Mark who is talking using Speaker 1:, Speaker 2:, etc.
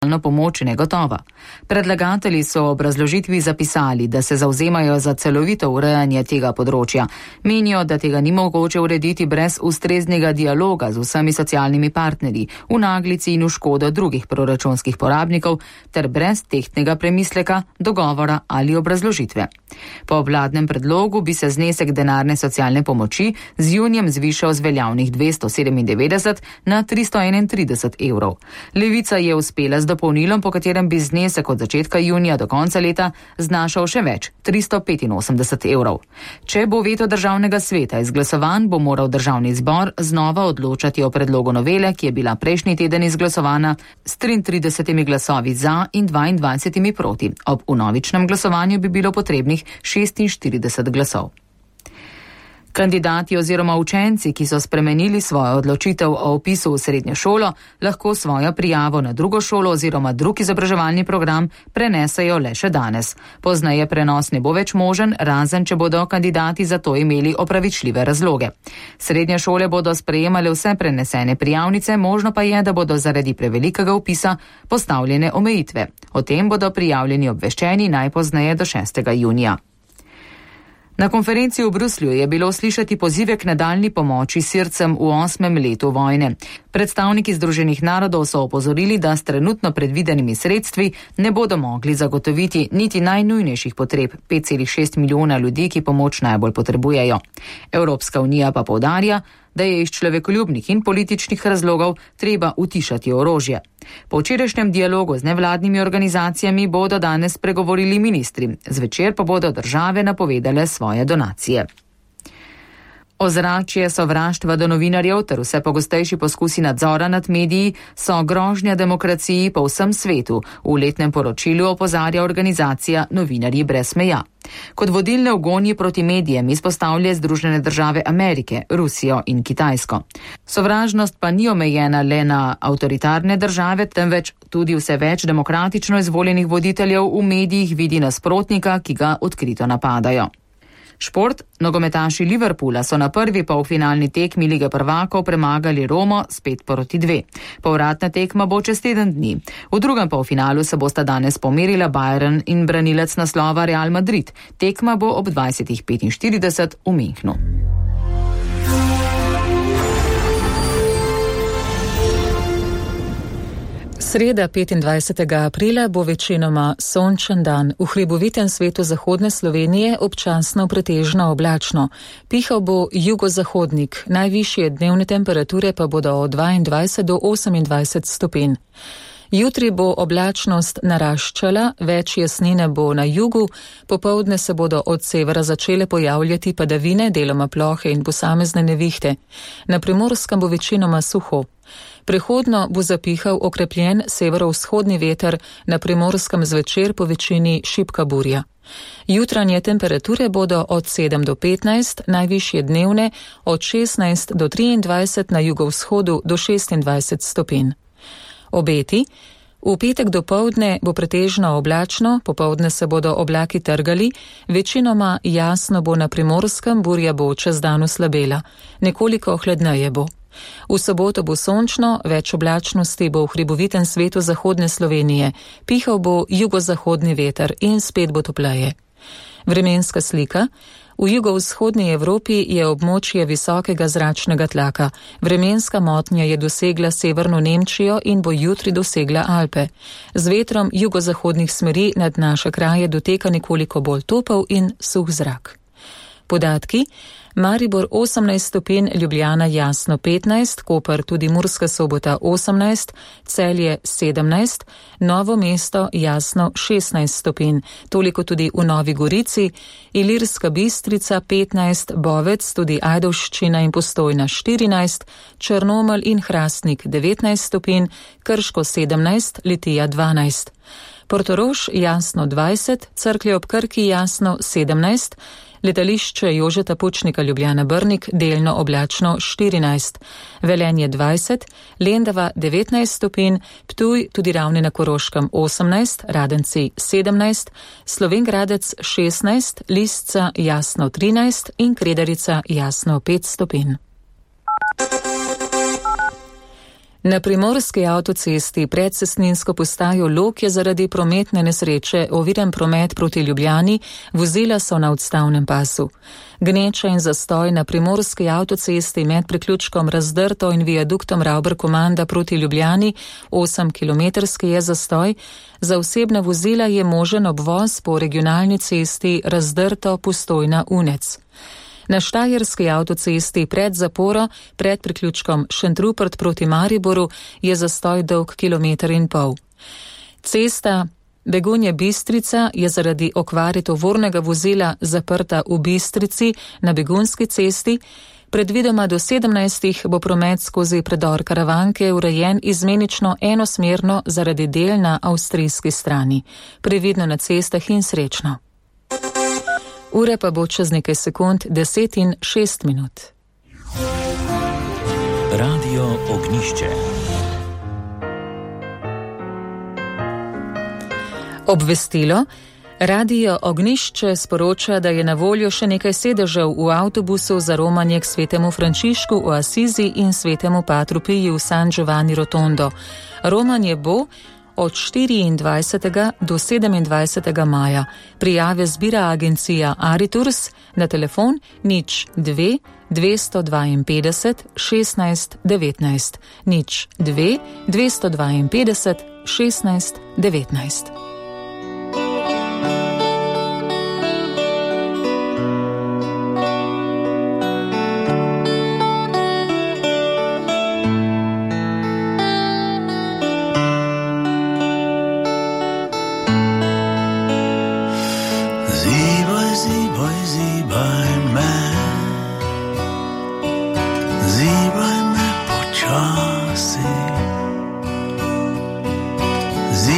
Speaker 1: pomoč negotova. Predlagatelji so v obrazložitvi zapisali, da se zavzemajo za celovito urejanje tega področja. Menijo, da tega ni mogoče urediti brez ustreznega dialoga z vsemi socialnimi partnerji, v naglici in v škodo drugih proračunskih porabnikov, ter brez tehtnega premisleka, dogovora ali obrazložitve. Po vladnem predlogu bi se znesek denarne socialne pomoči z junijem zvišal z veljavnih 297 na 331 evrov. Levica je uspela z dopolnilom, po katerem bi znesek od začetka junija do konca leta znašal še več, 385 evrov. Če bo veto državnega sveta izglasovan, bo moral državni zbor znova odločati o predlogu novele, ki je bila prejšnji teden izglasovana s 33 glasovi za in 22 proti. Ob vnovičnem glasovanju bi bilo potrebnih 46 glasov. Kandidati oziroma učenci, ki so spremenili svojo odločitev o vpisu v srednjo šolo, lahko svojo prijavo na drugo šolo oziroma drug izobraževalni program prenesejo le še danes. Pozneje prenos ne bo več možen, razen če bodo kandidati za to imeli opravičljive razloge. Srednje šole bodo sprejemale vse prenesene prijavnice, možno pa je, da bodo zaradi prevelikega vpisa postavljene omejitve. O tem bodo prijavljeni obveščeni najpozneje do 6. junija. Na konferenci v Bruslju je bilo slišati pozive k nadaljnji pomoči Sircem v 8. letu vojne. Predstavniki Združenih narodov so opozorili, da s trenutno predvidenimi sredstvi ne bodo mogli zagotoviti niti najnujnejših potreb 5,6 milijona ljudi, ki pomoč najbolj potrebujejo. Evropska unija pa poudarja, da je iz človekoljubnih in političnih razlogov treba utišati orožje. Po včerajšnjem dialogu z nevladnimi organizacijami bodo danes pregovorili ministri, zvečer pa bodo države napovedale svoje donacije. Ozračje sovraštva do novinarjev ter vse pogostejši poskusi nadzora nad mediji so grožnja demokraciji po vsem svetu, v letnem poročilu opozarja organizacija Novinarji brez meja. Kot vodilne v gonji proti medijem izpostavlja Združene države Amerike, Rusijo in Kitajsko. Sovražnost pa ni omejena le na avtoritarne države, temveč tudi vse več demokratično izvoljenih voditeljev v medijih vidi nasprotnika, ki ga odkrito napadajo. Šport, nogometaši Liverpoola so na prvi polfinalni tekmi Lige prvakov premagali Romo s 5-2. Povratna tekma bo čez teden dni. V drugem polfinalu se bosta danes pomerila Bayern in branilec naslova Real Madrid. Tekma bo ob 20:45 v Münchnu.
Speaker 2: Sreda 25. aprila bo večinoma sončen dan. V hribovitem svetu zahodne Slovenije občasno pretežno oblačno. Pihal bo jugozahodnik, najvišje dnevne temperature pa bodo od 22 do 28 stopinj. Jutri bo oblačnost naraščala, več jasnine bo na jugu, popoldne se bodo od severa začele pojavljati padavine, deloma plohe in posamezne nevihte. Na Primorskem bo večinoma suho. Prehodno bo zapihal okrepljen severovzhodni veter, na Primorskem zvečer po večini šibka burja. Jutranje temperature bodo od 7 do 15, najvišje dnevne od 16 do 23, na jugovzhodu do 26 stopinj. Obeti. V petek dopoldne bo pretežno oblačno, popoldne se bodo oblaki trgali, večinoma jasno bo na Primorskem, burja bo čez dan oslabela, nekoliko hladneje bo. V soboto bo sončno, več oblačnosti bo v hribovitem svetu zahodne Slovenije, pihal bo jugozahodni veter in spet bo topleje. Vremenska slika. V jugovzhodni Evropi je območje visokega zračnega tlaka. Vremenska motnja je dosegla severno Nemčijo in bo jutri dosegla Alpe. Z vetrom jugozahodnih smeri nad naše kraje doteka nekoliko bolj topel in suh zrak. Podatki. Maribor 18 stopinj, Ljubljana jasno 15, Koper tudi Murska Sobota 18, Celje 17, Novo mesto jasno 16 stopinj, toliko tudi v Novi Gorici, Ilirska Bistrica 15, Bovec, tudi Ajdovščina in Postojna 14, Črnomelj in Hrastnik 19 stopinj, Krško 17, Litija 12. Portorož jasno 20, Cerklje ob Krki jasno 17, letališče Jožeta Pučnika Ljubljana Brnik delno oblačno 14, Velenje 20, Lendava 19 stopinj, Ptuj tudi Ravne na Koroškem 18, Radenci 17, Slovenj Gradec 16, Lisca jasno 13 in Kredarica jasno 5 stopinj. Na primorski avtocesti pred cestninsko postajo Log je zaradi prometne nesreče oviran promet proti Ljubljani, vozila so na odstavnem pasu. Gneča in zastoj na primorski avtocesti med priključkom Razdrto in viaduktom Ravber-Komanda proti Ljubljani, 8-kilometrski je zastoj, za osebna vozila je možen obvoz po regionalni cesti Razdrto-Postojna-Unec. Na štajerski avtocesti pred zaporo, pred priključkom Šentrupert proti Mariboru, je zastoj dolg 1,5 km. Cesta Begunje-Bistrica je zaradi okvare tovornega vozila zaprta v Bistrici na Begunjski cesti. Predvidoma do 17. bo promet skozi predor Karavanke urejen izmenično enosmerno zaradi del na avstrijski strani. Previdno na cestah in srečno. Ure pa bo čez nekaj sekund 10:06.
Speaker 3: Radio Ognjišče.
Speaker 2: Obvestilo. Radio Ognjišče sporoča, da je na voljo še nekaj sedežev v avtobusu za romanje k svetemu Frančišku v Asizi in svetemu Patru Piju v San Giovanni Rotondo. Romanje bo od 24. do 27. maja. Prijave zbira agencija Aritours na telefon 02 252 16 19 02 252 16 19.